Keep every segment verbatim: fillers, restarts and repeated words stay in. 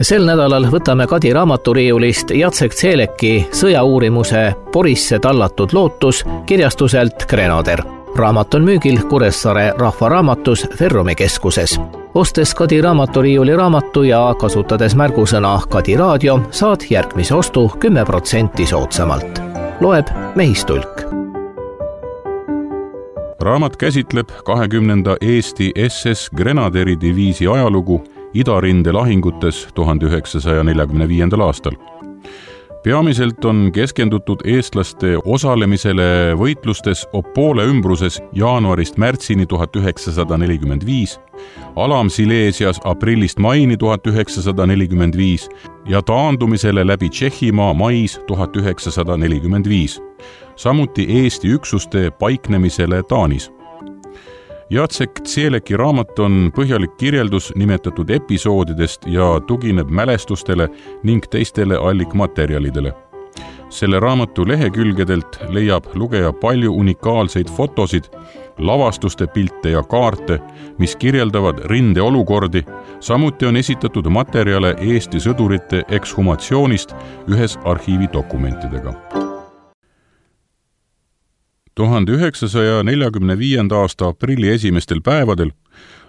Sel nädalal võtame Kadi raamaturiiulist Jacek Zeleki sõjauurimuse Porisse tallatud lootus kirjastuselt Grenader. Raamat on müügil Kuressaare rahvaraamatus Ferrumi keskuses. Ostes Kadi raamaturiiuli raamatu ja kasutades märgusõna Kadi raadio, saad järgmise ostu kümme protsenti soodsamalt. Loeb Mehistulk. Raamat käsitleb kahekümnenda Eesti S S Grenaderi diviisi ajalugu Idarinde lahingutes tuhande üheksasaja neljakümne viiendal aastal. Peamiselt on keskendutud eestlaste osalemisele võitlustes Opole ümbruses jaanuarist märtsini tuhat üheksasada nelikümmend viis, Alam-Sileesias aprillist maini tuhat üheksasada nelikümmend viis ja taandumisele läbi Tšehhimaa mais tuhat üheksasada nelikümmend viis, samuti Eesti üksuste paiknemisele Taanis. Jacek Zeleki raamat on põhjalik kirjeldus nimetatud episoodidest ja tugineb mälestustele ning teistele allikmaterjalidele. Selle raamatu lehekülgedelt leiab lugeja palju unikaalseid fotosid, lavastuste pilte ja kaarte, mis kirjeldavad rindeolukordi, samuti on esitatud materjale Eesti sõdurite ekshumatsioonist ühes arhiividokumentidega. tuhande üheksasaja neljakümne viienda aasta aprilli esimestel päevadel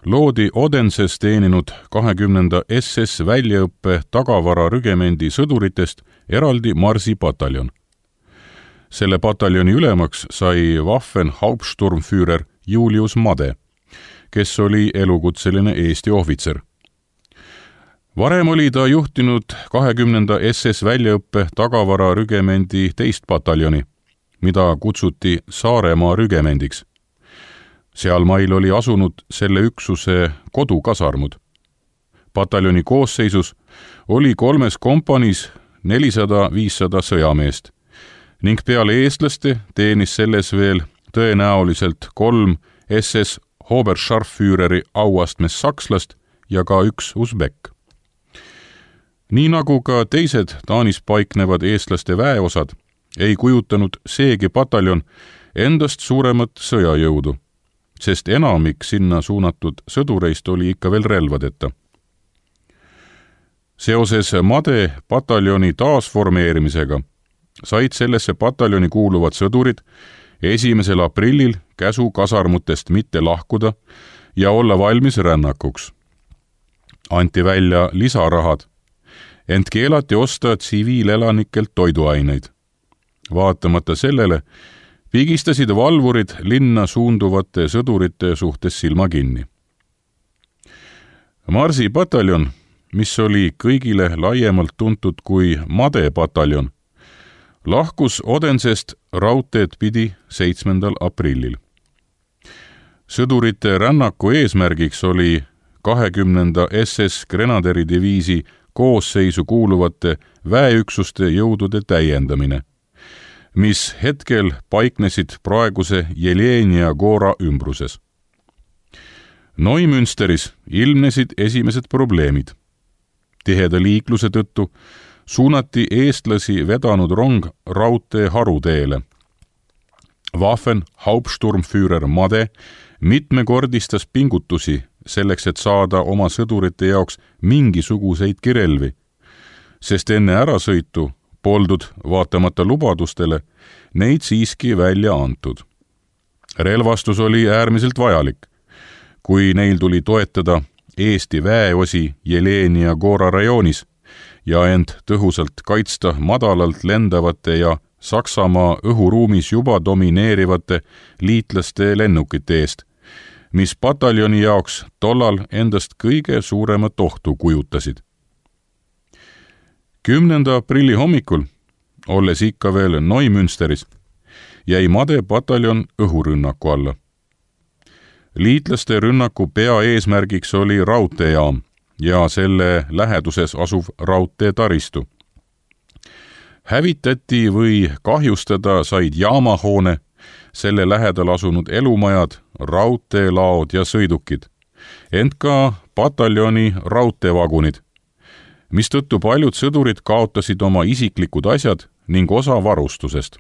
loodi Odenses teeninud kahekümnenda S S väljaõppe tagavara rügemendi sõduritest eraldi Marsi pataljon. Selle pataljoni ülemaks sai Waffen-Hauptsturmführer Julius Made, kes oli elukutseline Eesti ohvitser. Varem oli ta juhtinud kahekümnenda S S väljaõppe tagavara rügemendi teist pataljoni, mida kutsuti Saaremaa rügemendiks. Sealmail oli asunud selle üksuse kodukasarmud. Pataljoni koosseisus oli kolmes kompaniis nelisada viissada sõjameest ning peale eestlaste teenis selles veel tõenäoliselt kolm S S Oberscharführeri auastmes sakslast ja ka üks usbek. Nii nagu ka teised Taanis paiknevad eestlaste väeosad, ei kujutanud seegi pataljon endast suuremat sõjajõudu, sest enamik sinna suunatud sõdureist oli ikka veel relvadeta. Seoses Made pataljoni taasformeerimisega said sellesse pataljoni kuuluvad sõdurid esimesel aprillil käsu kasarmutest mitte lahkuda ja olla valmis rännakuks. Anti välja lisarahad, ent keelati osta tsiviilelanikelt toiduaineid. Vaatamata sellele pigistasid valvurid linna suunduvate sõdurite suhtes silma kinni. Marsi pataljon, mis oli kõigile laiemalt tuntud kui Made pataljon, lahkus Odensest raudteed pidi seitsmendal aprillil. Sõdurite rännaku eesmärgiks oli kahekümnenda S S Grenaderi diviisi koosseisu kuuluvate väeüksuste jõudude täiendamine, mis hetkel paiknesid praeguse Jelenia Gora ümbruses. Neumünsteris ilmnesid esimesed probleemid. Tiheda liikluse tõttu suunati eestlasi vedanud rong raudtee haruteele. Waffen-Hauptsturmführer Made mitmekordistas pingutusi selleks, et saada oma sõdurite jaoks mingisuguseid kirelvi, sest enne ärasõitu poldud vaatamata lubadustele neid siiski välja antud. Relvastus oli äärmiselt vajalik, kui neil tuli toetada Eesti väeosi Jelenia Gora rajoonis ja end tõhusalt kaitsta madalalt lendavate ja Saksamaa õhuruumis juba domineerivate liitlaste lennukite eest, mis pataljoni jaoks tollal endast kõige suuremat ohtu kujutasid. kümnenda aprilli hommikul, olles ikka veel Neumünsteris, jäi Made pataljon õhurünnaku alla. Liitlaste rünnaku peaeesmärgiks oli raudteejaam ja selle läheduses asuv raudteetaristu. Hävitati või kahjustada said jaamahoone, selle lähedal asunud elumajad, raudteelaod ja sõidukid, ent ka pataljoni raudteevagunid, mistõttu paljud sõdurid kaotasid oma isiklikud asjad ning osa varustusest.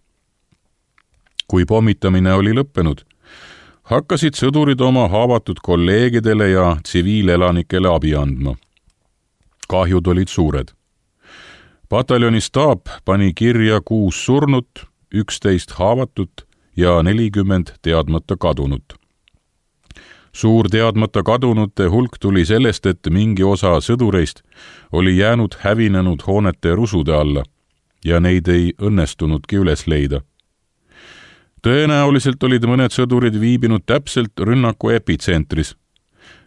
Kui pommitamine oli lõppenud, hakkasid sõdurid oma haavatud kolleegidele ja tsiviilelanikele abi andma. kahjud olid suured. Pataljoni staap pani kirja kuus surnut, üksteist haavatut ja nelikümmend teadmata kadunut. Suur teadmata kadunute hulk tuli sellest, et mingi osa sõdureist oli jäänud hävinenud hoonete rusude alla ja neid ei õnnestunudki üles leida. Tõenäoliselt olid mõned sõdurid viibinud täpselt rünnaku epitsentris.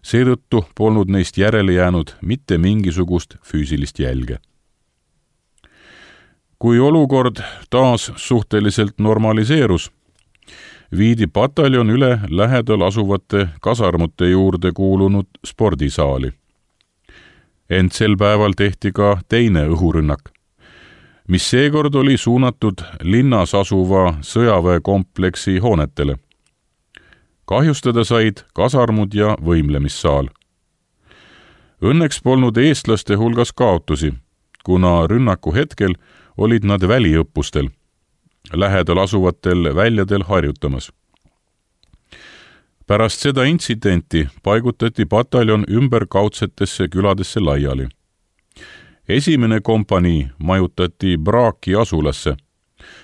Seetõttu polnud neist järele jäänud mitte mingisugust füüsilist jälge. Kui olukord taas suhteliselt normaliseerus, viidi pataljon üle lähedal asuvate kasarmute juurde kuulunud spordisaali. Ent sel päeval tehti ka teine õhurünnak, mis seekord oli suunatud linnas asuva sõjaväekompleksi hoonetele. Kahjustada said kasarmud ja võimlemissaal. Õnneks polnud eestlaste hulgas kaotusi, kuna rünnaku hetkel olid nad väliõppustel, lähedal asuvatel väljadel harjutamas. Pärast seda intsidenti paigutati pataljon ümberkaudsetesse küladesse laiali. Esimene kompanii majutati Braki asulasse,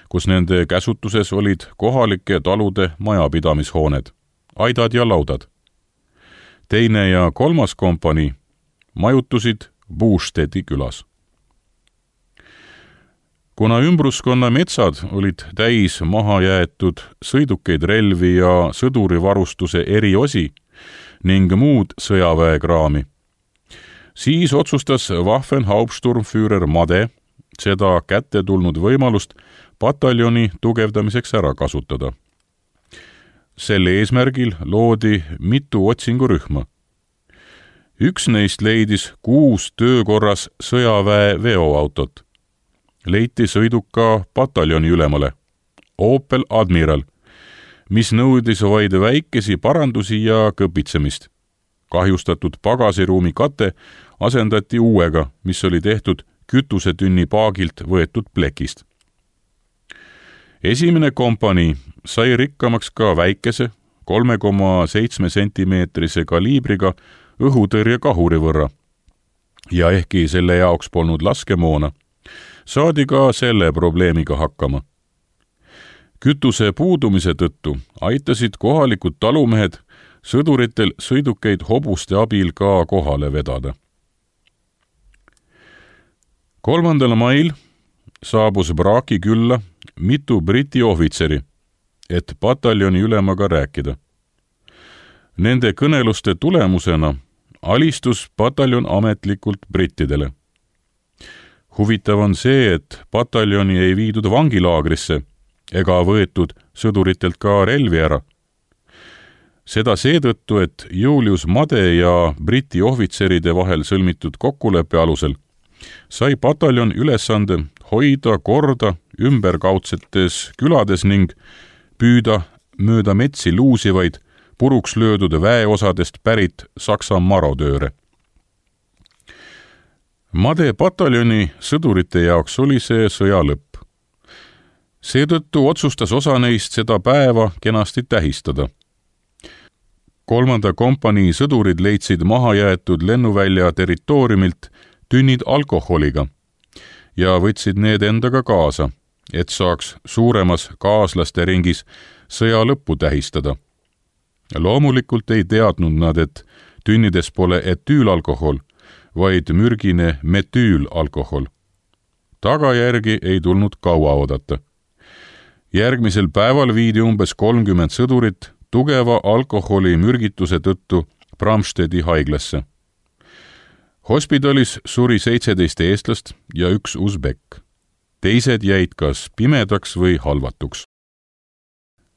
kus nende käsutuses olid kohalike talude majapidamishooned, aidad ja laudad. Teine ja kolmas kompanii majutusid Buustedi külas. Kuna ümbruskonna metsad olid täis maha jäetud sõidukeid, relvi ja sõdurivarustuse eriosi ning muud sõjaväekraami, siis otsustas Waffenhauptsturmführer Made seda kätte tulnud võimalust pataljoni tugevdamiseks ära kasutada. Selle eesmärgil loodi mitu otsingurühma. Üks neist leidis kuus töökorras sõjaväe veoautot. Leiti sõiduka pataljoni ülemale, Opel Admiral, mis nõudis vaid väikesi parandusi ja kõpitsemist. Kahjustatud pagasiruumi kate asendati uuega, mis oli tehtud kütusetünni paagilt võetud plekist. Esimene kompanii sai rikkamaks ka väikese kolme koma seitsme sentimeetrise kaliibriga õhutõrjekahuri võrra ja ehkki selle jaoks polnud laskemoona, saadi ka selle probleemiga hakkama. Kütuse puudumise tõttu aitasid kohalikud talumehed sõduritel sõidukeid hobuste abil ka kohale vedada. kolmandal mail saabus Braki külla mitu briti ohvitseri, et pataljoni ülemaga rääkida. Nende kõneluste tulemusena alistus pataljon ametlikult brittidele. Huvitav on see, et pataljoni ei viidud vangilaagrisse ega võetud sõduritelt ka relvi ära. Seda seetõttu, et Julius Made ja briti ohvitseride vahel sõlmitud kokkuleppe alusel sai pataljon ülesande hoida korda ümberkaudsetes külades ning püüda mööda metsi luusivaid puruks löödud väeosadest pärit Saksa marodööre. Made pataljoni sõdurite jaoks oli see sõja lõpp. Seetõttu otsustas osa neist seda päeva kenasti tähistada. Kolmanda kompanii sõdurid leidsid maha jäetud lennuvälja territooriumilt tünnid alkoholiga ja võtsid need endaga kaasa, et saaks suuremas kaaslaste ringis sõja lõppu tähistada. Loomulikult ei teadnud nad, et tünnides pole etüülalkohol, vaid mürgine metüülalkohol. Tagajärgi ei tulnud kaua oodata. Järgmisel päeval viidi umbes kolmkümmend sõdurit tugeva alkoholi mürgituse tõttu Bramstedi haiglasse. Hospitalis suri seitseteist eestlast ja üks usbekk. Teised jäid kas pimedaks või halvatuks.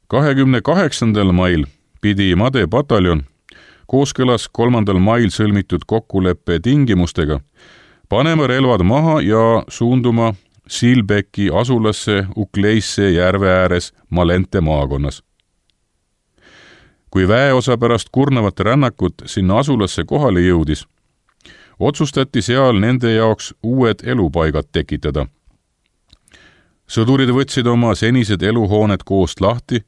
kahekümne kaheksandal mail pidi Made pataljon kooskõlas kolmandal mail sõlmitud kokkuleppe tingimustega panema relvad maha ja suunduma Silbeki asulasse Ukleisse järve ääres Malente maakonnas. Kui väeosa pärast kurnavat rännakut sinna asulasse kohale jõudis, otsustati seal nende jaoks uued elupaigad tekitada. Sõdurid võtsid oma senised eluhooned koost lahti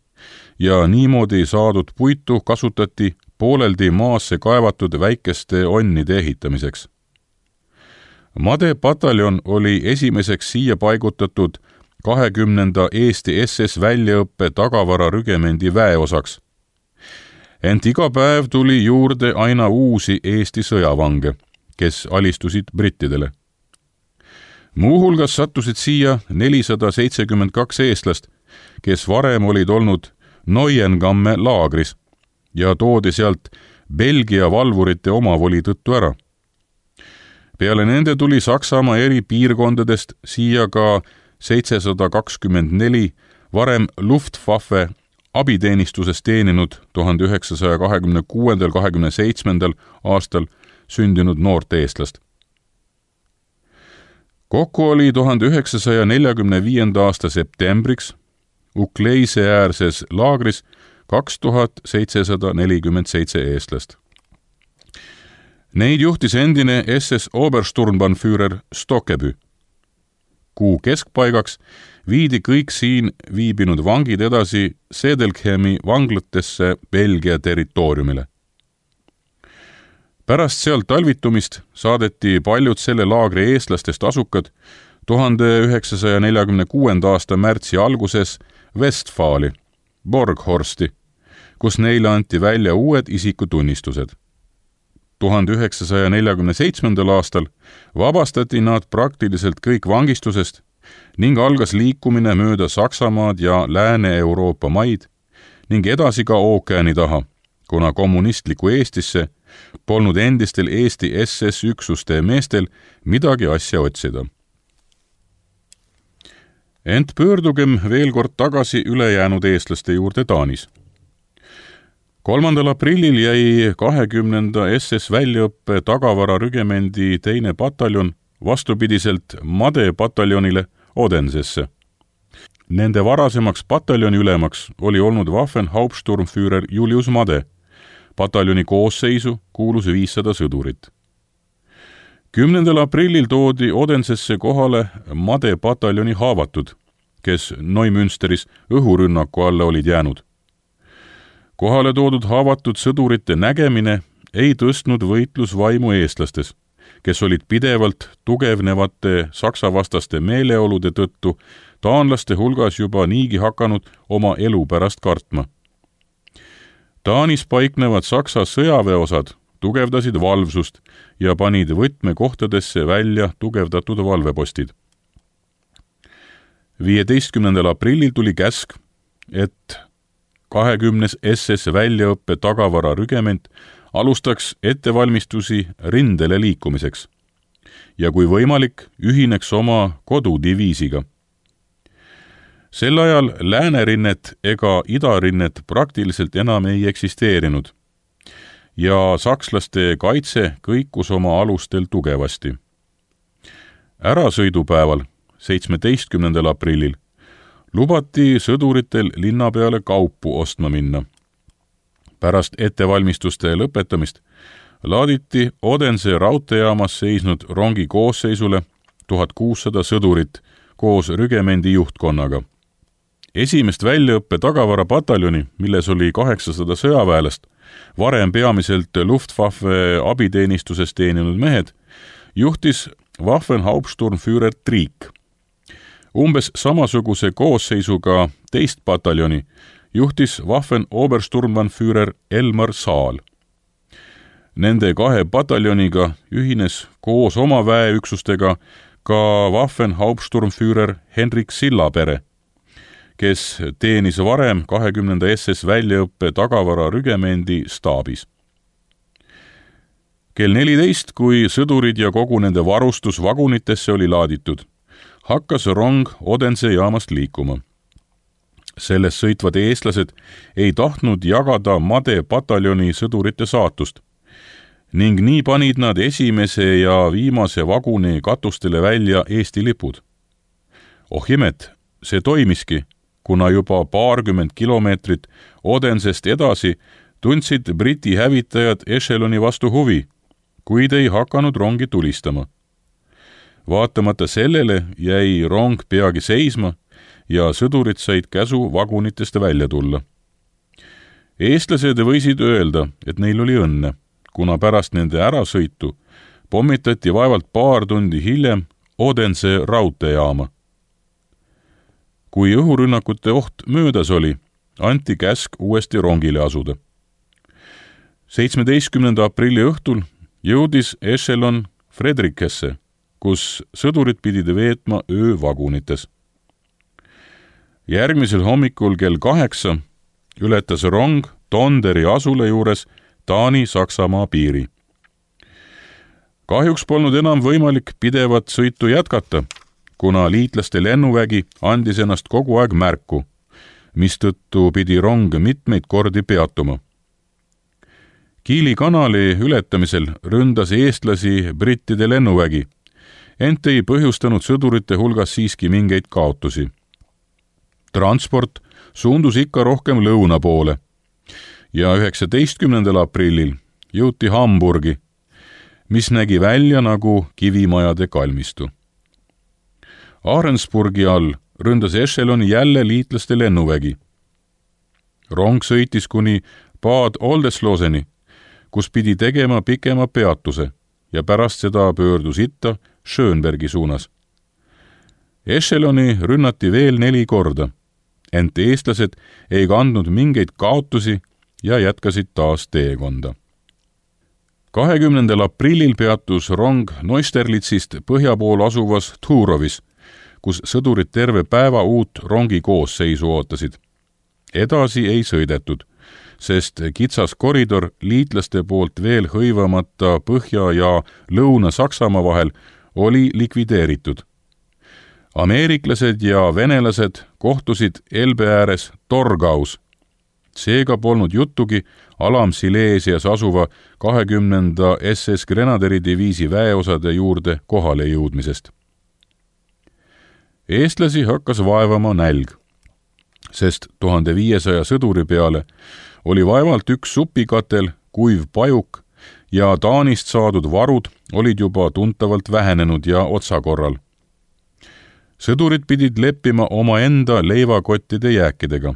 ja niimoodi saadud puitu kasutati pooleldi maasse kaevatud väikeste onnide ehitamiseks. Made pataljon oli esimeseks siia paigutatud kahekümnenda Eesti S S väljaõppe tagavara rügemendi väeosaks. Ent iga päev tuli juurde aina uusi Eesti sõjavange, kes alistusid brittidele. Muuhulgas sattusid siia nelisada seitsekümmend kaks eestlast, kes varem olid olnud Neuengamme laagris ja toodi sealt Belgia valvurite omavoli tõttu ära. Peale nende tuli Saksamaa eri piirkondadest siia ka seitsesada kakskümmend neli varem Luftwaffe abiteenistuses teeninud tuhande üheksasaja kahekümne kuuendal kahekümne seitsmendal aastal sündinud noort eestlast. Kokku oli tuhande üheksasaja neljakümne viienda aasta septembriks Ukleise äärses laagris kaks tuhat seitsesada nelikümmend seitse eestlast. Neid juhtis endine S S Obersturmbannführer Stokkebü. Kuu keskpaigaks viidi kõik siin viibinud vangid edasi Sedelkhemi vanglatesse Belgia territooriumile. Pärast sealt talvitumist saadeti paljud selle laagri eestlastest asukad tuhande üheksasaja neljakümne kuuenda aasta märtsi alguses Westfali, Borghorsti, kus neile anti välja uued isikutunnistused. tuhande üheksasaja neljakümne seitsmendal aastal vabastati nad praktiliselt kõik vangistusest ning algas liikumine mööda Saksamaad ja Lääne-Euroopa maid ning edasi ka ookeani taha, kuna kommunistliku Eestisse polnud endistel Eesti S S üksuste meestel midagi asja otsida. Ent pöördugem veel kord tagasi ülejäänud eestlaste juurde Taanis. kolmandal aprillil jäi kahekümnenda S S väljaõppe tagavara rügemendi teine pataljon vastupidiselt Made pataljonile Odensesse. Nende varasemaks pataljoni ülemaks oli olnud Waffen-Hauptsturmführer Julius Made. Pataljoni koosseisu kuulus viissada sõdurit. kümnendal aprillil toodi Odensesse kohale Made pataljoni haavatud, kes Neumünsteris õhurünnaku alla olid jäänud. Kohale toodud haavatud sõdurite nägemine ei tõstnud võitlusvaimu eestlastes, kes olid pidevalt tugevnevate saksavastaste meeleolude tõttu taanlaste hulgas juba niigi hakanud oma elu pärast kartma. Taanis paiknevad Saksa sõjaväeosad tugevdasid valvsust ja panid võtmekohtadesse välja tugevdatud valvepostid. viieteistkümnendal aprillil tuli käsk, et kahekümnes S S väljaõppe tagavara rügement alustaks ettevalmistusi rindele liikumiseks ja kui võimalik, ühineks oma kodudiviisiga. Sel ajal Läänerinnet ega Idarinnet praktiliselt enam ei eksisteerinud ja sakslaste kaitse kõikus oma alustel tugevasti. Ärasõidupäeval, seitsmeteistkümnendal aprillil, lubati sõduritel linna peale kaupu ostma minna. Pärast ettevalmistuste lõpetamist laaditi Odense raudteejaamas seisnud rongi koosseisule tuhat kuussada sõdurit koos rügemendi juhtkonnaga. Esimest väljaõppe tagavara pataljoni, milles oli kaheksasada sõjaväelast, varem peamiselt Luftwaffe abiteenistuses teeninud mehed, juhtis Waffen-Hauptsturmführer Triik. Umbes samasuguse koosseisuga teist pataljoni juhtis Waffen-Obersturmbannführer Elmar Saal. Nende kahe pataljoniga ühines koos oma väeüksustega ka Waffen-Hauptsturmführer Henrik Sillapere, kes teenis varem kahekümnenda S S väljaõppe tagavara rügemendi staabis. kell neliteist, kui sõdurid ja kogu nende varustus vagunitesse oli laaditud, hakkas rong Odense jaamast liikuma. Selles sõitvad eestlased ei tahtnud jagada Made pataljoni sõdurite saatust ning nii panid nad esimese ja viimase vaguni katustele välja Eesti lipud. Oh imet, see toimiski, kuna juba paarkümmend kilomeetrit Odensest edasi tundsid Briti hävitajad ešeloni vastu huvi, kuid ei hakanud rongi tulistama. Vaatamata sellele jäi rong peagi seisma ja sõdurid said käsu vagunitest välja tulla. Eestlased võisid öelda, et neil oli õnne, kuna pärast nende ärasõitu pommitati vaevalt paar tundi hiljem Odense raudteejaama. Kui õhurünnakute oht möödas oli, anti käsk uuesti rongile asuda. seitsmeteistkümnenda aprilli õhtul jõudis ešelon Fredrikesse, kus sõdurid pidid veetma öö vagunites. Järgmisel hommikul kell kaheksa ületas rong Tonderi asule juures Taani-Saksamaa piiri. Kahjuks polnud enam võimalik pidevat sõitu jätkata, kuna liitlaste lennuvägi andis ennast kogu aeg märku, mistõttu pidi rong mitmeid kordi peatuma. Kiili kanali ületamisel ründas eestlasi brittide lennuvägi, ent ei põhjustanud sõdurite hulgas siiski mingeid kaotusi. Transport suundus ikka rohkem lõuna poole ja üheksateistkümnendal aprillil jõuti Hamburgi, mis nägi välja nagu kivimajade kalmistu. Ahrensburgi all ründas ešeloni jälle liitlaste lennuvägi. Rong sõitis kuni Bad Oldesloseni, kus pidi tegema pikema peatuse ja pärast seda pöördus itta Schönbergi suunas. Ešeloni rünnati veel neli korda, ent eestlased ei kandnud mingeid kaotusi ja jätkasid taas teekonda. kahekümnendal aprillil peatus rong Neusterlitzist põhja pool asuvas Turovis, kus sõdurid terve päeva uut rongi koosseisu ootasid. Edasi ei sõidetud, sest kitsas koridor liitlaste poolt veel hõivamata Põhja- ja Lõuna-Saksamaa vahel oli likvideeritud. Ameeriklased ja venelased kohtusid Elbe ääres Torgaus. Seega polnud juttugi Alam-Silesias asuva kahekümnenda S S Grenaderidiviisi väeosade juurde kohale jõudmisest. Eestlasi hakkas vaevama nälg, sest tuhande viiesaja sõduri peale oli vaevalt üks supikatel, kuiv pajuk ja Taanist saadud varud olid juba tuntavalt vähenenud ja otsakorral. Sõdurid pidid leppima omaenda leivakottide jääkidega.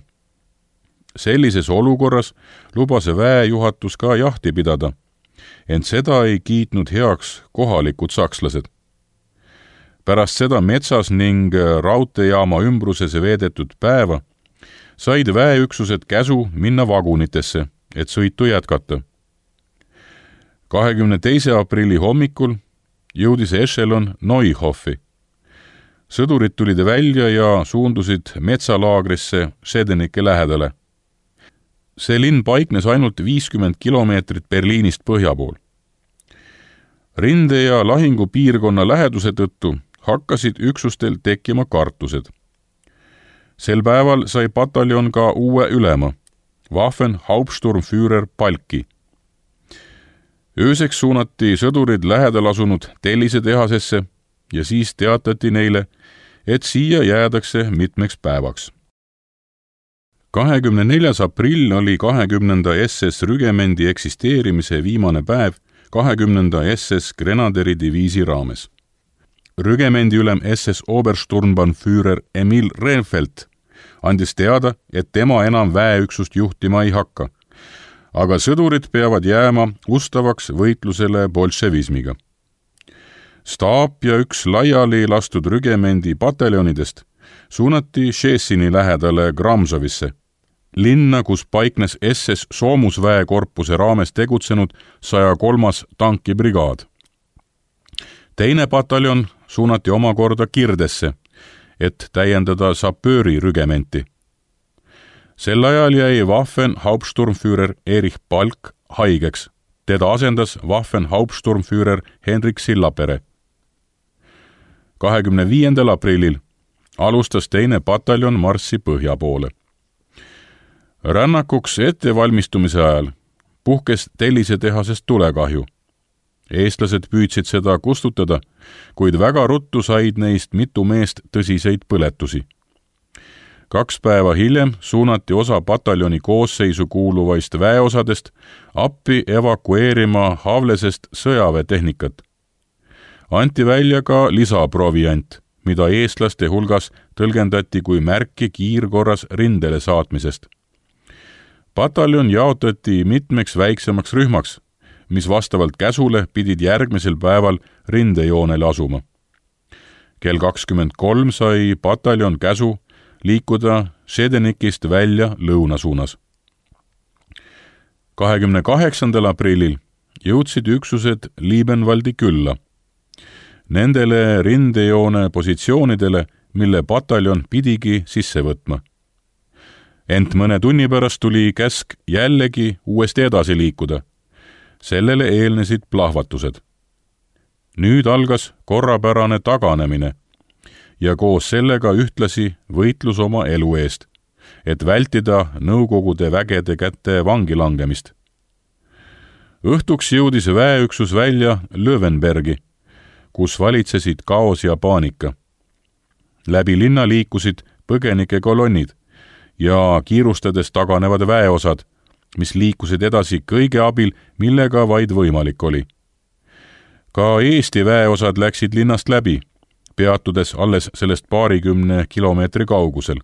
Sellises olukorras lubas väejuhatus ka jahti pidada, ent seda ei kiitnud heaks kohalikud sakslased. Pärast seda metsas ning raudteejaama ümbruses veedetud päeva said väeüksused käsu minna vagunitesse, et sõitu jätkata. kahekümne teise aprilli hommikul jõudis ešelon Neuhoffi. Sõdurid tulid välja ja suundusid metsalaagrisse Schedenike lähedale. See linn paiknes ainult viiskümmend kilomeetrit Berliinist põhja pool. Rinde- ja lahingupiirkonna läheduse tõttu hakkasid üksustel tekkima kartused. Sel päeval sai pataljon ka uue ülema, Waffen-Hauptsturmführer palki. Ööseks suunati sõdurid lähedal asunud tellisetehasesse ja siis teatati neile, et siia jäädakse mitmeks päevaks. kahekümne neljas aprill oli kahekümnenda S S rügemendi eksisteerimise viimane päev kahekümnenda S S Grenaderidiviisi raames. Rügemendi ülem S S Obersturmbannführer Emil Rehfeldt andis teada, et tema enam väeüksust juhtima ei hakka, aga sõdurid peavad jääma ustavaks võitlusele bolševismiga. Staap ja üks laiali lastud rügemendi pataljonidest suunati Šešini lähedale Gramsovisse, linna, kus paiknes S S soomusväekorpuse raames tegutsenud saja kolmas tankibrigaad. Teine pataljon suunati omakorda Kirdesse, et täiendada sapööri rügementi. Sel ajal jäi Waffen-Hauptsturmführer Erich Palk haigeks. Teda asendas Waffen-Hauptsturmführer Henrik Sillapere. kahekümne viiendal aprillil alustas teine pataljon marssi põhja poole. Rännakuks ettevalmistumise ajal puhkes tellisetehasest tulekahju. Eestlased püüdsid seda kustutada, kuid väga ruttu said neist mitu meest tõsiseid põletusi. Kaks päeva hiljem suunati osa pataljoni koosseisu kuuluvaist väeosadest appi evakueerima Havlesest sõjaväetehnikat. Anti välja ka lisaproviant, mida eestlaste hulgas tõlgendati kui märki kiirkorras rindele saatmisest. Pataljon jaotati mitmeks väiksemaks rühmaks, mis vastavalt käsule pidid järgmisel päeval rindejoonele asuma. kell kakskümmend kolm sai pataljon käsu liikuda Šedenikist välja lõuna suunas. kahekümne kaheksandal aprillil jõudsid üksused Liebenwaldi külla. Nendele rindejoone positsioonidele, mille pataljon pidigi sisse võtma. Ent mõne tunni pärast tuli käsk jällegi uuesti edasi liikuda. Sellele eelnesid plahvatused. Nüüd algas korrapärane taganemine ja koos sellega ühtlasi võitlus oma elu eest, et vältida Nõukogude vägede kätte vangi langemist. Õhtuks jõudis väeüksus välja Löwenbergi, kus valitsesid kaos ja paanika. Läbi linna liikusid põgenike kolonnid ja kiirustades taganevad väeosad, mis liikusid edasi kõige abil, millega vaid võimalik oli. Ka Eesti väeosad läksid linnast läbi, peatudes alles sellest paarikümne kilomeetri kaugusel.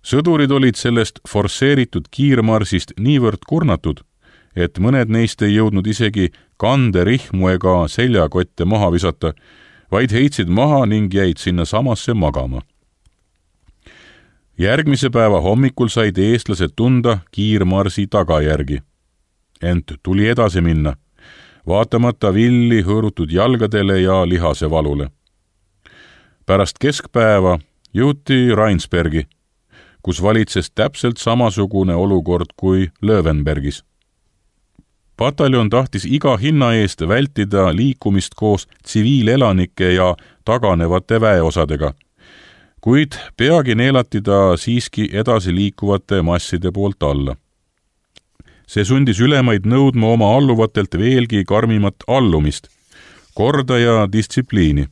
Sõdurid olid sellest forsseeritud kiirmarsist niivõrd kurnatud, et mõned neist ei jõudnud isegi kanderihmu ega seljakotte maha visata, vaid heitsid maha ning jäid sinna samasse magama. Järgmise päeva hommikul said eestlased tunda kiirmarsi tagajärgi. Ent tuli edasi minna, vaatamata villi hõõrutud jalgadele ja lihase valule. Pärast keskpäeva jõuti Rheinsbergi, kus valitses täpselt samasugune olukord kui Löwenbergis. Pataljon tahtis iga hinna eest vältida liikumist koos tsiviilelanike ja taganevate väeosadega, kuid peagi neelati ta siiski edasi liikuvate masside poolt alla. See sundis ülemaid nõudma oma alluvatelt veelgi karmimat allumist, korda ja distsipliini.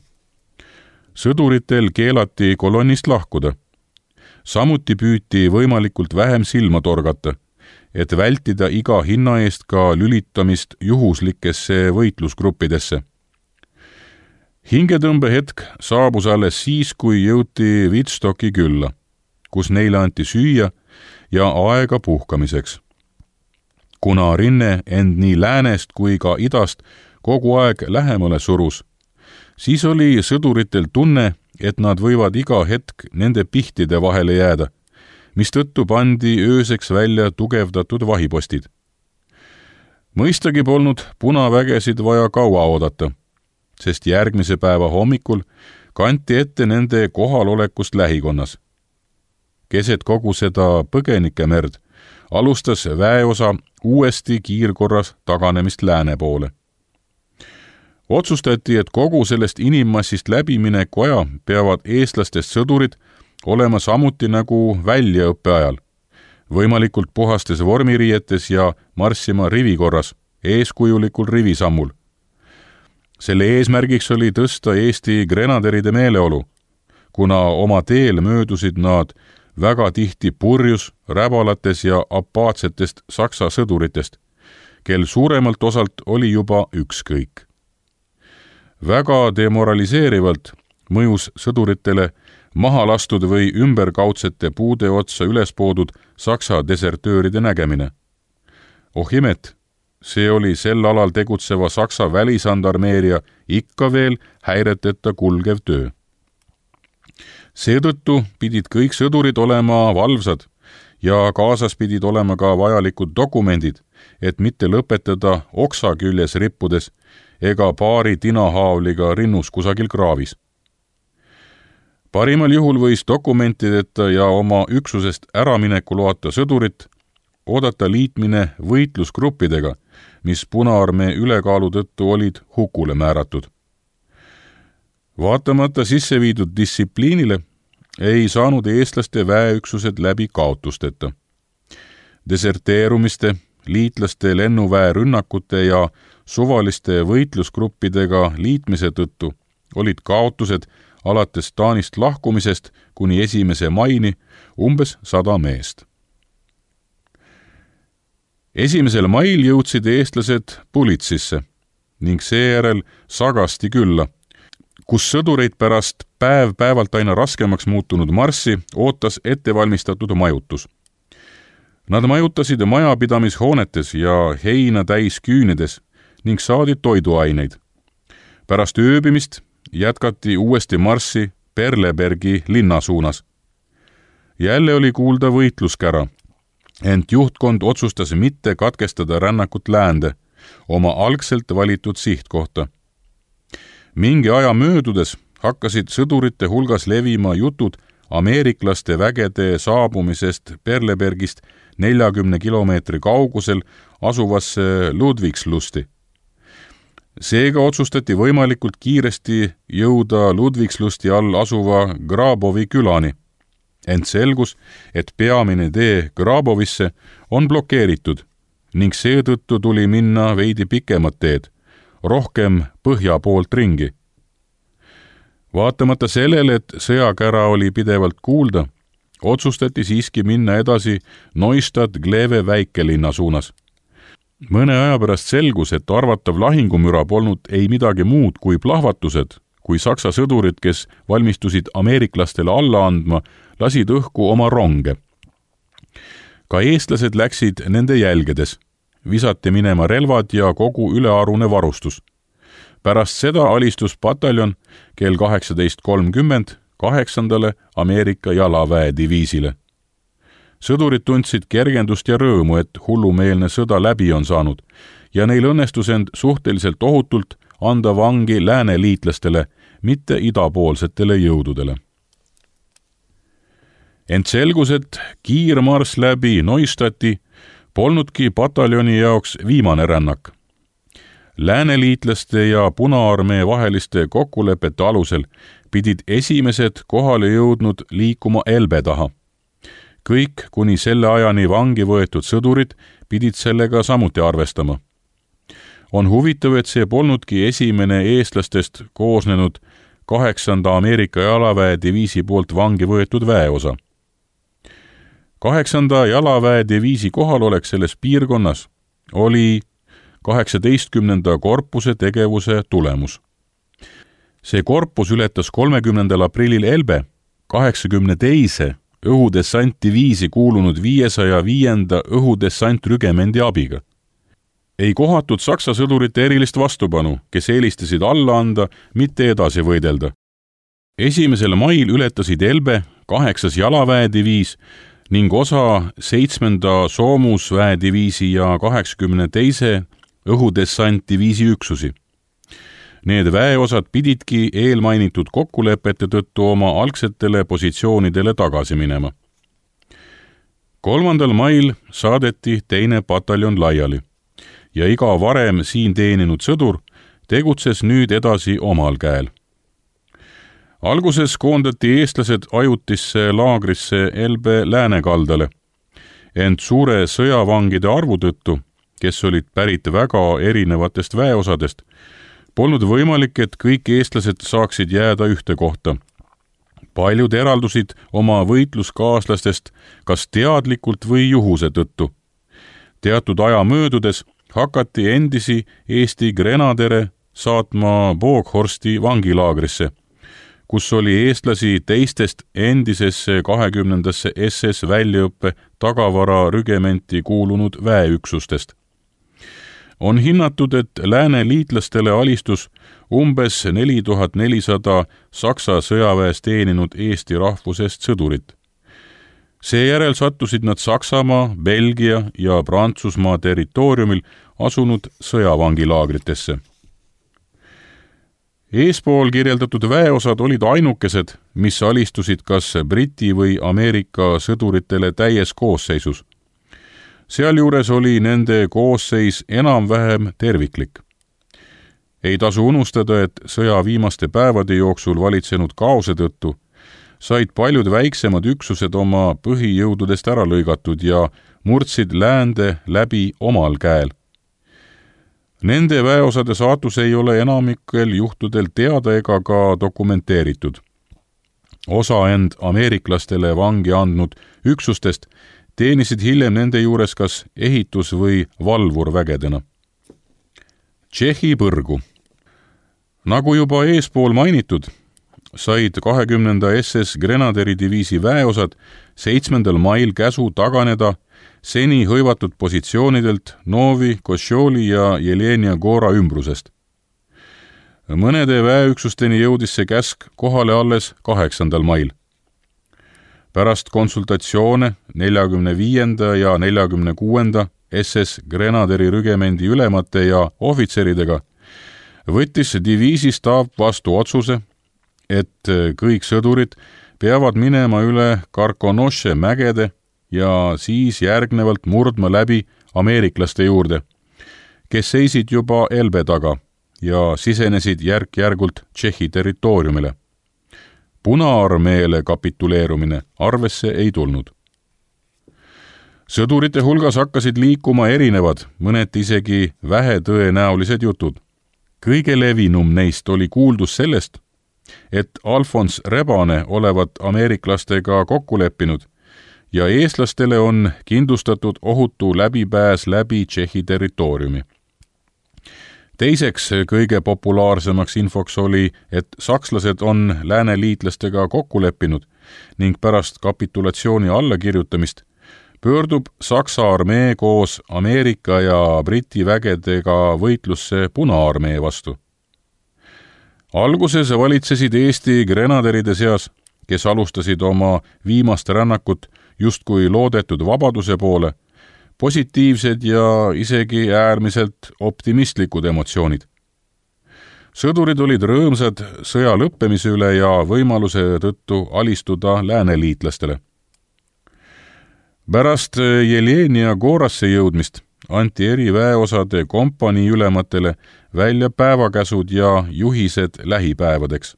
Sõduritel keelati kolonnist lahkuda. Samuti püüti võimalikult vähem silma torgata, et vältida iga hinna eest ka lülitamist juhuslikesse võitlusgruppidesse. Hingetõmbehetk saabus alles siis, kui jõuti Wittstocki külla, kus neile anti süüa ja aega puhkamiseks. Kuna rinne end nii läänest kui ka idast kogu aeg lähemale surus, siis oli sõduritel tunne, et nad võivad iga hetk nende pihtide vahele jääda, mistõttu pandi ööseks välja tugevdatud vahipostid. Mõistagi polnud punavägesid vaja kaua oodata, sest järgmise päeva hommikul kanti ette nende kohalolekust lähikonnas. Keset kogu seda põgenikemerd alustas väeosa uuesti kiirkorras taganemist lääne poole. Otsustati, et kogu sellest inimmassist läbimineku aja peavad eestlastest sõdurid olema samuti nagu väljaõppe ajal, võimalikult puhastes vormiriietes ja marssima rivikorras, eeskujulikul rivisammul. Selle eesmärgiks oli tõsta Eesti grenaderide meeleolu, kuna oma teel möödusid nad väga tihti purjus, räbalates ja apaatsetest saksa sõduritest, kel suuremalt osalt oli juba ükskõik. Väga demoraliseerivalt mõjus sõduritele maha lastud või ümberkaudsete puude otsa ülespoodud saksa desertööride nägemine. Oh imet, see oli sel alal tegutseva saksa välisandarmeeria ikka veel häireteta kulgev töö. Seetõttu pidid kõik sõdurid olema valvsad ja kaasas pidid olema ka vajalikud dokumendid, et mitte lõpetada oksa küljes rippudes ega paari tinahaavliga rinnus kusagil kraavis. Parimal juhul võis dokumentideta ja oma üksusest äramineku loata sõdurit oodata liitmine võitlusgruppidega, mis Punaarmee ülekaalu tõttu olid hukule määratud. Vaatamata sisse viidud distsipliinile ei saanud eestlaste väeüksused läbi kaotusteta. Deserteerumiste, liitlaste lennuväe rünnakute ja suvaliste võitlusgruppidega liitmise tõttu olid kaotused alates Taanist lahkumisest kuni esimese maini umbes sada meest. Esimesel mail jõudsid eestlased Pulitsisse ning seejärel Sagasti külla, kus sõdureid pärast päev-päevalt aina raskemaks muutunud marssi ootas ettevalmistatud majutus. Nad majutasid majapidamishoonetes ja heina täis küünides ning saadi toiduaineid. Pärast ööbimist jätkati uuesti marssi Perlebergi linna suunas. Jälle oli kuulda võitluskära, ent juhtkond otsustas mitte katkestada rännakut läände, oma algselt valitud sihtkohta. Mingi aja möödudes hakkasid sõdurite hulgas levima jutud ameeriklaste vägede saabumisest Perlebergist neljakümne kilomeetri kaugusel asuvasse Ludwigslusti. Seega otsustati võimalikult kiiresti jõuda Ludwigslusti all asuva Grabovi külani, ent selgus, et peamine tee Grabovisse on blokeeritud ning seetõttu tuli minna veidi pikemat teed, rohkem põhja poolt ringi. Vaatamata sellele, et sõjakära oli pidevalt kuulda, otsustati siiski minna edasi Neustadt-Glewe väikelinna suunas. Mõne aja pärast selgus, et arvatav lahingumüra polnud ei midagi muud kui plahvatused, kui saksa sõdurid, kes valmistusid ameeriklastele alla andma, lasid õhku oma ronge. Ka eestlased läksid nende jälgedes, visati minema relvad ja kogu ülearune varustus. Pärast seda alistus pataljon kell kaheksateist kolmkümmend kaheksandale Ameerika jalaväediviisile. Sõdurid tundsid kergendust ja rõõmu, et hullumeelne sõda läbi on saanud ja neil õnnestus end suhteliselt ohutult anda vangi lääne liitlastele, mitte idapoolsetele jõududele. Ent selgus, et kiirmarss läbi Neustadti polnudki pataljoni jaoks viimane rännak. Lääneliitlaste ja Punaarmee vaheliste kokkulepete alusel pidid esimesed kohale jõudnud liikuma Elbe taha. Kõik kuni selle ajani vangi võetud sõdurid pidid sellega samuti arvestama. On huvitav, et see polnudki esimene eestlastest koosnenud kaheksanda Ameerika jalaväediviisi poolt vangi võetud väeosa. Kaheksanda jalaväediviisi kohalolek selles piirkonnas oli kaheksateistkümnenda korpuse tegevuse tulemus. See korpus ületas kolmekümnendal aprillil Elbe kaheksakümne teise õhudessantdiviisi kuulunud viiesaja viienda õhudessantrügemendi abiga. Ei kohatud saksa sõdurite erilist vastupanu, kes eelistasid alla anda, mitte edasi võidelda. Esimesel mail ületasid Elbe kaheksas jalaväediviis ning osa seitsmenda soomusväediviisi ja kaheksakümne teise õhudessantdiviisi üksusi. Need väeosad pididki eelmainitud kokkulepete tõttu oma algsetele positsioonidele tagasi minema. kolmandal mail saadeti teine pataljon laiali ja iga varem siin teeninud sõdur tegutses nüüd edasi omal käel. Alguses koondati eestlased ajutisse laagrisse Elbe läänekaldale, ent suure sõjavangide arvu tõttu, kes olid pärit väga erinevatest väeosadest, polnud võimalik, et kõik eestlased saaksid jääda ühte kohta. Paljud eraldusid oma võitluskaaslastest kas teadlikult või juhuse tõttu. Teatud aja möödudes hakati endisi Eesti grenadere saatma Boghorsti vangilaagrisse, kus oli eestlasi teistest endisesse kahekümnendasse S S väljaõppe tagavara rügementi kuulunud väeüksustest. On hinnatud, et lääne liitlastele alistus umbes neli tuhat nelisada Saksa sõjaväes teeninud Eesti rahvusest sõdurit. Seejärel sattusid nad Saksamaa, Belgia ja Prantsusmaa territooriumil asunud sõjavangilaagritesse. Eespool kirjeldatud väeosad olid ainukesed, mis alistusid kas Briti või Ameerika sõduritele täies koosseisus. Sealjuures oli nende koosseis enam-vähem terviklik. Ei tasu unustada, et sõja viimaste päevade jooksul valitsenud kaose tõttu said paljud väiksemad üksused oma põhijõududest ära lõigatud ja murdsid läände läbi omal käel. Nende väeosade saatus ei ole enamikel juhtudel teada ega ka dokumenteeritud. Osa end ameeriklastele vangi andnud üksustest teenisid hiljem nende juures kas ehitus- või valvurvägedena. Tšehhi põrgu. Nagu juba eespool mainitud, said kahekümnenda S S Grenaderi diviisi väeosad seitsmendal mail käsu taganeda seni hõivatud positsioonidelt Novi, Košoli ja Jelenia Gora ümbrusest. Mõnede väeüksusteni jõudis see käsk kohale alles kaheksandal mail. Pärast konsultatsioone neljakümne viienda ja neljakümne kuuenda S S Grenaderi rügemendi ülemate ja ohvitseridega võttis diviisi staap vastu otsuse, et kõik sõdurid peavad minema üle Karkonoše mägede ja siis järgnevalt murdma läbi ameeriklaste juurde, kes seisid juba Elbe taga ja sisenesid järk-järgult Tšehhi territooriumile. Punaarmeele kapituleerumine arvesse ei tulnud. Sõdurite hulgas hakkasid liikuma erinevad, mõneti isegi vähetõenäolised jutud. Kõige levinum neist oli kuuldus sellest, et Alfons Rebane olevat ameeriklastega kokku leppinud ja eestlastele on kindlustatud ohutu läbipääs läbi Tšehhi territooriumi. Teiseks kõige populaarsemaks infoks oli, et sakslased on lääneliitlastega kokku leppinud ning pärast kapitulatsiooni allakirjutamist pöördub Saksa armee koos Ameerika ja Briti vägedega võitlusse Punaarmee vastu. Alguses valitsesid Eesti grenaderide seas, kes alustasid oma viimast rännakut justkui loodetud vabaduse poole, positiivsed ja isegi äärmiselt optimistlikud emotsioonid. Sõdurid olid rõõmsad sõja lõppemise üle ja võimaluse tõttu alistuda lääneliitlastele. Pärast Jelenia Gorasse jõudmist anti eri väeosade kompanii ülematele välja päevakäsud ja juhised lähipäevadeks.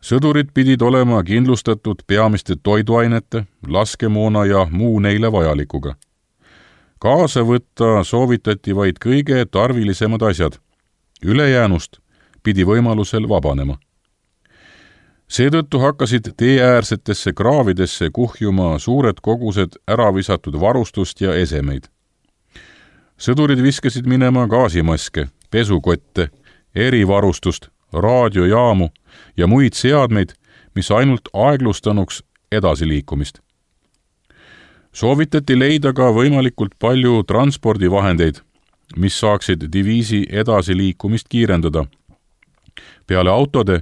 Sõdurid pidid olema kindlustatud peamiste toiduainete, laskemoona ja muu neile vajalikuga. Kaasa võtta soovitati vaid kõige tarvilisemad asjad. Ülejäänust pidi võimalusel vabanema. Seetõttu hakkasid teeäärsetesse kraavidesse kuhjuma suured kogused äravisatud varustust ja esemeid. Sõdurid viskasid minema gaasimaske, pesukotte, erivarustust, raadiojaamu ja muid seadmeid, mis ainult aeglustanuks edasiliikumist. Soovitati leida ka võimalikult palju transpordivahendeid, mis saaksid diviisi edasiliikumist kiirendada. Peale autode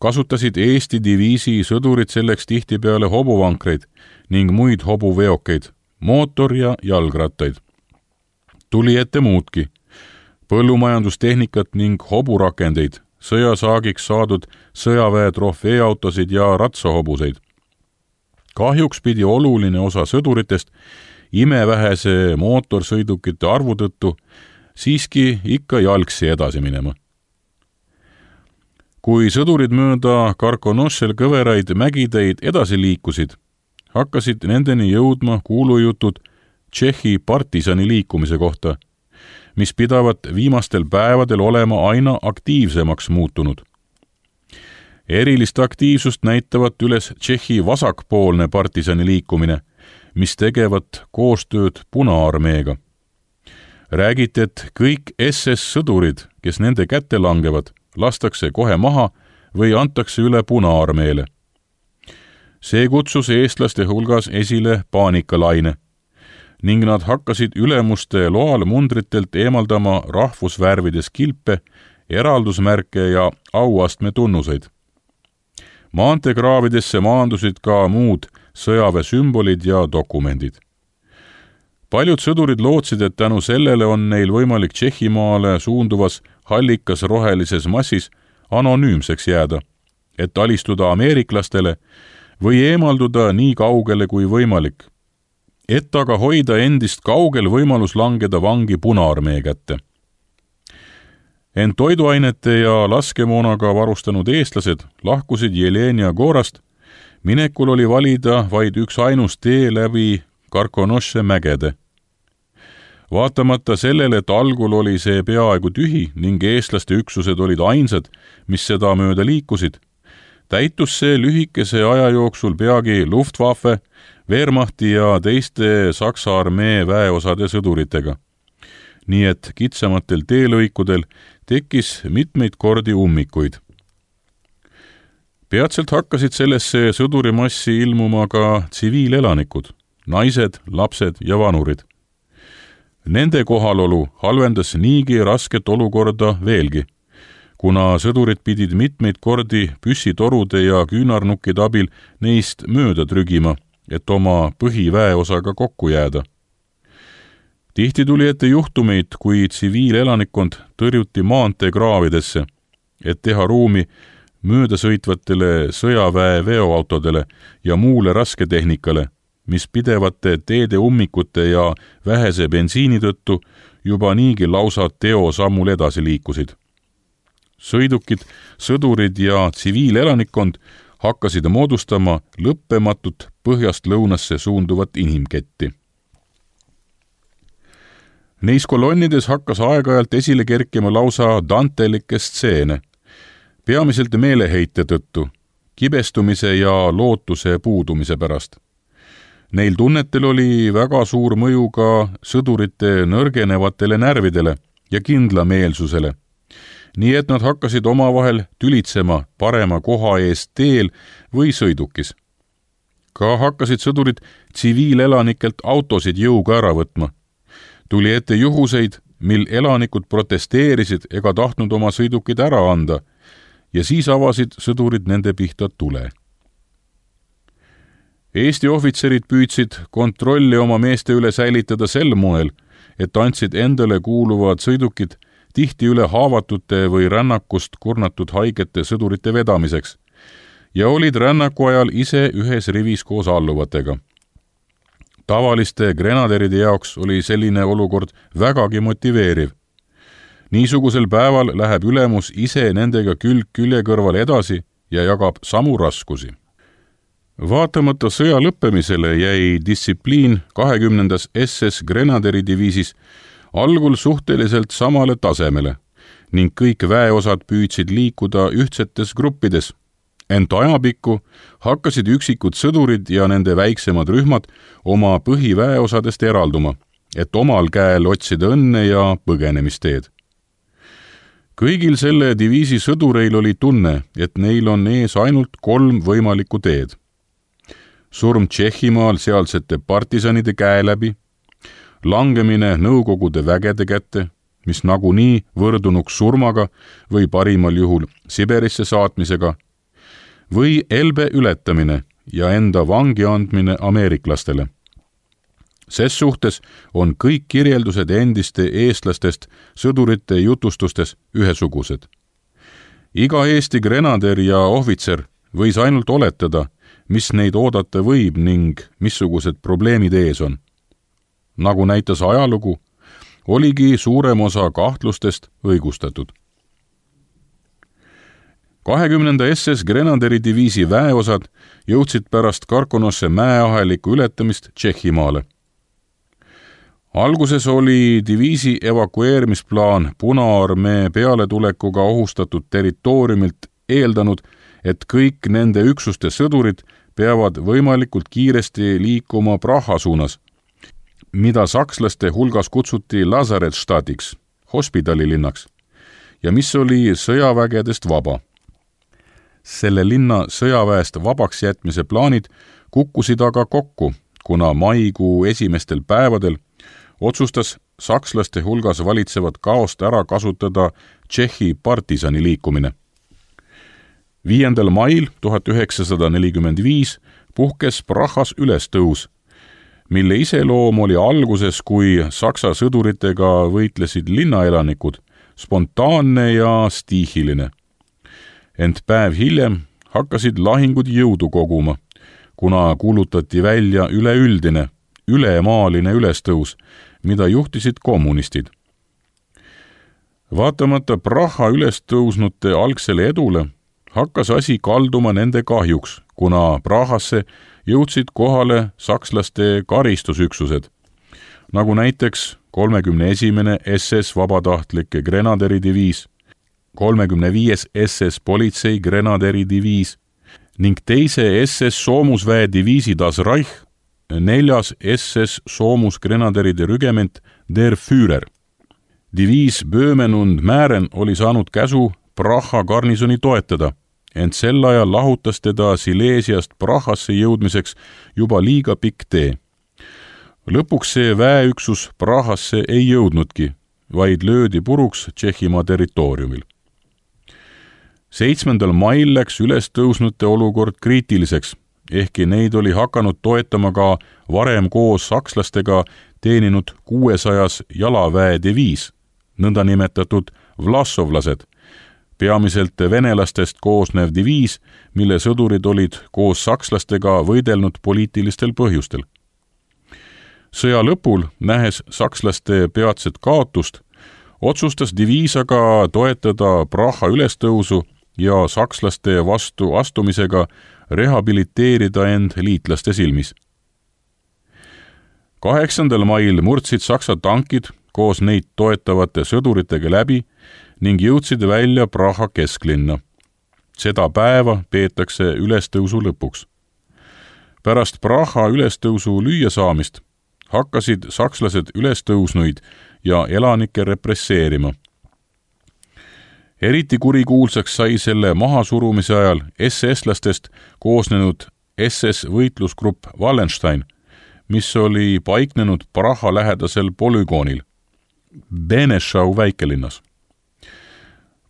kasutasid Eesti diviisi sõdurid selleks tihtipeale hobuvankreid ning muid hobuveokeid, mootor- ja jalgrattaid. Tuli ette muudki, põllumajandustehnikat ning hoburakendeid, sõjasaagiks saadud sõjaväe trofeeautosid ja ratsahobuseid. Kahjuks pidi oluline osa sõduritest imevähese mootorsõidukite arvu tõttu siiski ikka jalgsi edasi minema. Kui sõdurid mööda Karkonošel kõveraid mägiteid edasi liikusid, hakkasid nendeni jõudma kuulujutud Tšehhi partisani liikumise kohta, mis pidavat viimastel päevadel olema aina aktiivsemaks muutunud. Erilist aktiivsust näitavat üles Tšehhi vasakpoolne partisani liikumine, mis tegevat koostööd Punaarmeega. Räägiti, et kõik S S sõdurid, kes nende kätte langevad, lastakse kohe maha või antakse üle Punaarmeele. See kutsus eestlaste hulgas esile paanikalaine ning nad hakkasid ülemuste loal mundritelt eemaldama rahvusvärvides kilpe, eraldusmärke ja auastme tunnuseid. Maanteekraavidesse maandusid ka muud sõjaväesümbolid ja dokumendid. Paljud sõdurid lootsid, et tänu sellele on neil võimalik Tšehhimaale suunduvas hallikas rohelises massis anonüümseks jääda, et alistuda ameeriklastele või eemalduda nii kaugele kui võimalik, et aga hoida endist kaugel võimalus langeda vangi Punaarmee kätte. Ent toiduainete ja laskemoonaga varustanud eestlased lahkusid Jelenia Gorast, minekul oli valida vaid üks ainus tee läbi Karkonoše mägede. Vaatamata sellele, et algul oli see peaaegu tühi ning eestlaste üksused olid ainsad, mis seda mööda liikusid, täitus see lühikese aja jooksul peagi Luftwaffe, Wehrmachti ja teiste Saksa armee väeosade sõduritega. Nii et kitsamatel teelõikudel tekkis mitmeid kordi ummikuid. Peatselt hakkasid sellesse sõdurimassi ilmuma ka tsiviilelanikud, naised, lapsed ja vanurid. Nende kohalolu halvendas niigi rasket olukorda veelgi, kuna sõdurid pidid mitmeid kordi püssitorude ja küünarnukkide abil neist mööda trügima, et oma põhiväeosaga kokku jääda. Tihti tuli ette juhtumeid, kui tsiviilelanikkond tõrjuti maanteekraavidesse, et teha ruumi möödasõitvatele sõjaväe veoautodele ja muule rasketehnikale, mis pidevate teede ummikute ja vähese bensiini tõttu juba niigi lausa teosammul edasi liikusid. Sõidukid, sõdurid ja tsiviilelanikkond hakkasid moodustama lõppematut põhjast lõunasse suunduvat inimketti. Neis kolonnides hakkas aeg-ajalt esile kerkima lausa dantelikke stseene, peamiselt meeleheite tõttu, kibestumise ja lootuse puudumise pärast. Neil tunnetel oli väga suur mõju ka sõdurite nõrgenevatele närvidele ja kindlameelsusele, nii et nad hakkasid omavahel tülitsema parema koha eest teel või sõidukis. Ka hakkasid sõdurid tsiviilelanikelt autosid jõuga ära võtma. Tuli ette juhuseid, mil elanikud protesteerisid ega tahtnud oma sõidukid ära anda ja siis avasid sõdurid nende pihta tule. Eesti ohvitserid püüdsid kontrolli oma meeste üle säilitada sel moel, et andsid endale kuuluvad sõidukid tihti üle haavatute või rännakust kurnatud haigete sõdurite vedamiseks ja olid rännaku ajal ise ühes rivis koos alluvatega. Tavaliste grenaderide jaoks oli selline olukord vägagi motiveeriv. Niisugusel päeval läheb ülemus ise nendega külg külje kõrval edasi ja jagab samu raskusi. Vaatamata sõja lõppemisele jäi distsipliin kahekümnendas S S Grenaderidiviisis algul suhteliselt samale tasemele ning kõik väeosad püüdsid liikuda ühtsetes gruppides, ent ajapikku hakkasid üksikud sõdurid ja nende väiksemad rühmad oma põhiväeosadest eralduma, et omal käel otsida õnne ja põgenemisteed. Kõigil selle diviisi sõdureil oli tunne, et neil on ees ainult kolm võimalikku teed. Surm Tšehhimaal sealsete partisanide käe läbi, langemine Nõukogude vägede kätte, mis nagunii võrdunuks surmaga või parimal juhul Siberisse saatmisega, või Elbe ületamine ja enda vangi andmine ameeriklastele. Ses suhtes on kõik kirjeldused endiste eestlastest sõdurite jutustustes ühesugused. Iga Eesti grenader ja ohvitser võis ainult oletada, mis neid oodata võib ning missugused probleemid ees on. Nagu näitas ajalugu, oligi suurem osa kahtlustest õigustatud. kahekümnenda S S Grenaderidiviisi väeosad jõudsid pärast Karkonosse mäeaheliku ületamist Tšehhimaale. Alguses oli diviisi evakueerimisplaan Punaarmee pealetulekuga ohustatud territooriumilt eeldanud, et kõik nende üksuste sõdurid peavad võimalikult kiiresti liikuma Praha suunas, mida sakslaste hulgas kutsuti Lazaretstadiks, hospidalilinnaks, ja mis oli sõjavägedest vaba. Selle linna sõjaväest vabaks jätmise plaanid kukkusid aga kokku, kuna maikuu esimestel päevadel otsustas sakslaste hulgas valitsevat kaost ära kasutada Tšehhi partisani liikumine. viiendal mail tuhat üheksasada nelikümmend viis puhkes Prahas ülestõus, mille iseloom oli alguses, kui saksa sõduritega võitlesid linnaelanikud, spontaanne ja stiihiline. Ent päev hiljem hakkasid lahingud jõudu koguma, kuna kuulutati välja üleüldine, ülemaaline ülestõus, mida juhtisid kommunistid. Vaatamata Praha ülestõusnute algsele edule, hakkas asi kalduma nende kahjuks, kuna Prahasse jõudsid kohale sakslaste karistusüksused, nagu näiteks kolmekümne esimene S S vabatahtlike grenaderidiviis, kolmekümne viies S S politsei grenaderidiviis ning teise S S soomusväe diviisi Das Reich, neljas S S soomusgrenaderide rügement Der Führer. Diviis Böhmen und Mähren oli saanud käsu Praha garnisoni toetada, ent sel ajal lahutas teda Sileesiast Prahasse jõudmiseks juba liiga pikk tee Lõpuks see väeüksus Prahasse ei jõudnudki, vaid löödi puruks Tšehhimaa territooriumil. seitsmendal mail läks ülestõusnute olukord kriitiliseks, ehkki neid oli hakanud toetama ka varem koos sakslastega teeninud kuuesajas jalaväediviis, nõndanimetatud vlasovlased, peamiselt venelastest koosnev diviis, mille sõdurid olid koos sakslastega võidelnud poliitilistel põhjustel. Sõja lõpul, nähes sakslaste peatset kaotust, otsustas diviis aga toetada Praha ülestõusu ja sakslaste vastu astumisega rehabiliteerida end liitlaste silmis. kaheksandal mail murdsid Saksa tankid koos neid toetavate sõduritega läbi ning jõudsid välja Praha kesklinna. Seda päeva peetakse ülestõusu lõpuks. Pärast Praha ülestõusu lüüa saamist hakkasid sakslased ülestõusnuid ja elanikke represseerima. Eriti kurikuulsaks sai selle mahasurumise ajal S S-lastest koosnenud S S-võitlusgrupp Wallenstein, mis oli paiknenud Praha lähedasel polügoonil, Benešau väikelinnas.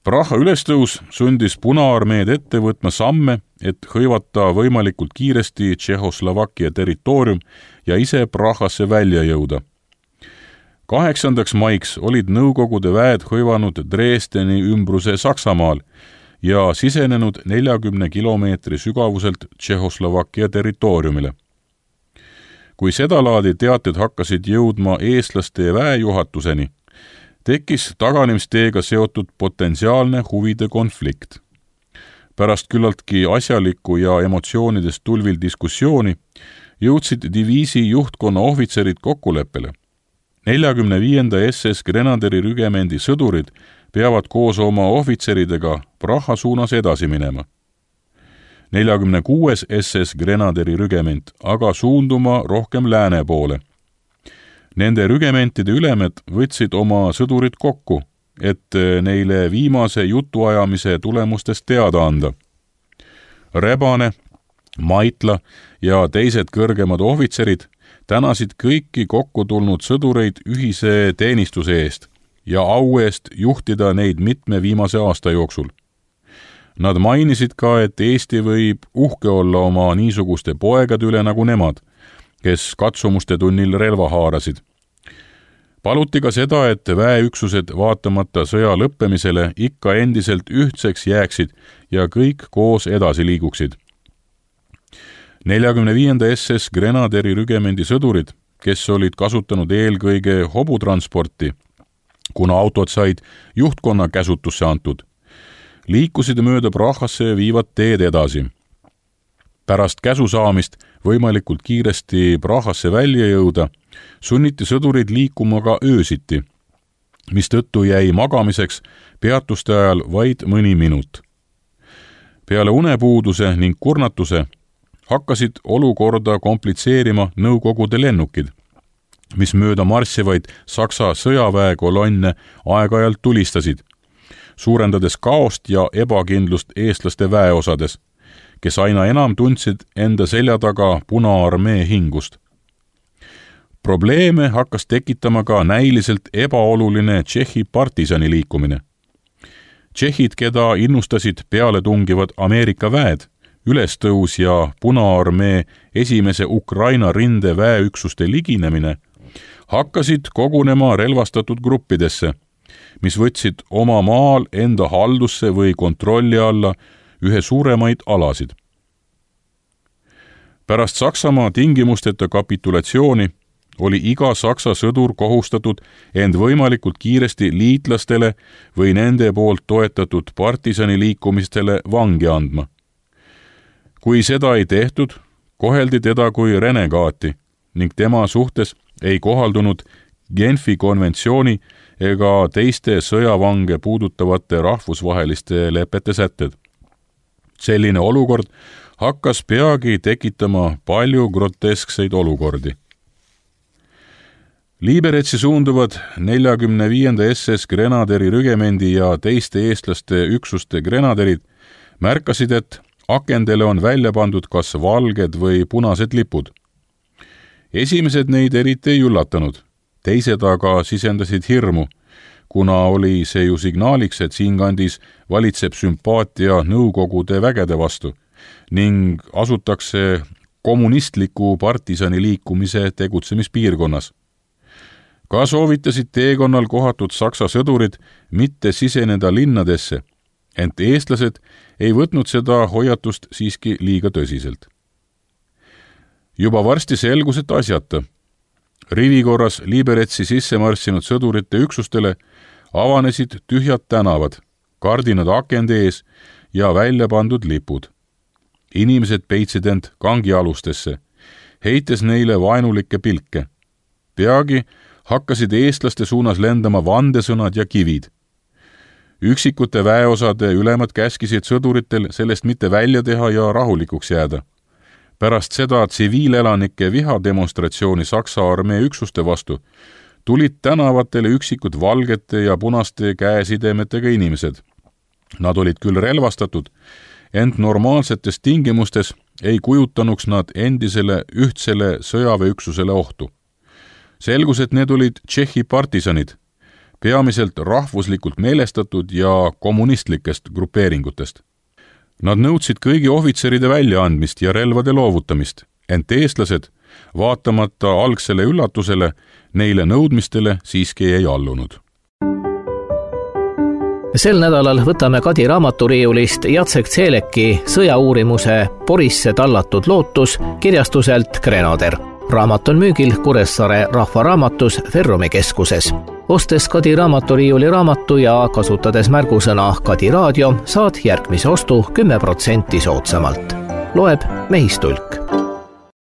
Praha ülestõus sundis Punaarmeed ette võtma samme, et hõivata võimalikult kiiresti Tšehhoslovakkia territoorium ja ise Prahasse välja jõuda. Kaheksandaks maiks olid Nõukogude väed hõivanud Dresdeni ümbruse Saksamaal ja sisenenud neljakümne kilomeetri sügavuselt Tšehhoslovakkia territooriumile. Kui sedalaadi teated hakkasid jõudma eestlaste väejuhatuseni, tekkis taganemisteega seotud potentsiaalne huvide konflikt. Pärast küllaltki asjaliku ja emotsioonidest tulvil diskussiooni jõudsid diviisi juhtkonna ohvitserid kokkuleppele. neljakümne viienda S S Grenaderi rügemendi sõdurid peavad koos oma ohvitseridega Praha suunas edasi minema. neljakümne kuues S S Grenaderi rügement aga suunduma rohkem lääne poole. Nende rügementide ülemed võtsid oma sõdurid kokku, et neile viimase jutuajamise tulemustest teada anda. Rebane, Maitla ja teised kõrgemad ohvitserid tänasid kõiki kokku tulnud sõdureid ühise teenistuse eest ja au eest juhtida neid mitme viimase aasta jooksul. Nad mainisid ka, et Eesti võib uhke olla oma niisuguste poegade üle nagu nemad, kes katsumuste tunnil relva haarasid. Paluti ka seda, et väeüksused vaatamata sõja lõppemisele ikka endiselt ühtseks jääksid ja kõik koos edasi liiguksid. neljakümne viienda S S Grenaderi rügemendi sõdurid, kes olid kasutanud eelkõige hobutransporti, kuna autod said juhtkonna käsutusse antud, liikusid mööda Prahasse viivad teed edasi. Pärast käsu saamist võimalikult kiiresti Prahasse välja jõuda, sunniti sõdurid liikuma ka öösiti, mistõttu jäi magamiseks peatuste ajal vaid mõni minut. Peale unepuuduse ning kurnatuse hakkasid olukorda komplitseerima Nõukogude lennukid, mis mööda marssivaid Saksa sõjaväekolonne aeg-ajalt tulistasid, suurendades kaost ja ebakindlust eestlaste väeosades, kes aina enam tundsid enda selja taga Punaarmee hingust. Probleeme hakkas tekitama ka näiliselt ebaoluline Tšehhi partisani liikumine. Tšehhid, keda innustasid peale tungivad Ameerika väed, ülestõus ja Punaarmee esimese Ukraina rinde väeüksuste liginemine, hakkasid kogunema relvastatud gruppidesse, mis võtsid oma maal enda haldusse või kontrolli alla ühe suuremaid alasid. Pärast Saksamaa tingimusteta kapitulatsiooni oli iga Saksa sõdur kohustatud end võimalikult kiiresti liitlastele või nende poolt toetatud partisani liikumistele vangi andma. Kui seda ei tehtud, koheldi teda kui renegaati ning tema suhtes ei kohaldunud Genfi konventsiooni ega teiste sõjavange puudutavate rahvusvaheliste lepete sätted. Selline olukord hakkas peagi tekitama palju groteskseid olukordi. Liberetsi suunduvad neljakümne viienda S S Grenaderi rügemendi ja teiste eestlaste üksuste grenaderid märkasid, et akendele on välja pandud kas valged või punased lipud. esimesed neid eriti ei üllatanud, teised aga sisendasid hirmu, kuna oli see ju signaaliks, et siinkandis valitseb sümpaatia Nõukogude vägede vastu ning asutakse kommunistliku partisani liikumise tegutsemispiirkonnas. Ka soovitasid teekonnal kohatud Saksa sõdurid mitte siseneda linnadesse, ent eestlased ei võtnud seda hoiatust siiski liiga tõsiselt. Juba varsti selgus, et asjata. Rivikorras Liberetsi sisse marssinud sõdurite üksustele avanesid tühjad tänavad, kardinad akende ees ja välja pandud lipud. Inimesed peitsid end kangialustesse, heites neile vaenulikke pilke. Peagi hakkasid eestlaste suunas lendama vandesõnad ja kivid. Üksikute väeosade ülemad käskisid sõduritel sellest mitte välja teha ja rahulikuks jääda. Pärast seda tsiviilelanike vihademonstratsiooni Saksa armee üksuste vastu tulid tänavatele üksikud valgete ja punaste käesidemetega inimesed. Nad olid küll relvastatud, ent normaalsetes tingimustes ei kujutanuks nad endisele ühtsele sõjaväeüksusele ohtu. Selgus, et need olid Tšehhi partisanid, peamiselt rahvuslikult meelestatud ja kommunistlikest grupeeringutest. Nad nõudsid kõigi ohvitseride väljaandmist ja relvade loovutamist, ent eestlased, vaatamata algsele üllatusele, neile nõudmistele siiski ei allunud. Sel nädalal võtame Kadi raamaturiiulist Jacek Zeleki sõjauurimuse Porisse tallatud lootus kirjastuselt Grenadier. Raamat on müügil Kuressaare Rahvaraamatus Ferrumi keskuses. Ostes Kadi raamaturiiuli raamatu ja kasutades märgusõna Kadi raadio, saad järgmise ostu kümme protsenti soodsamalt. Loeb Mehistulk.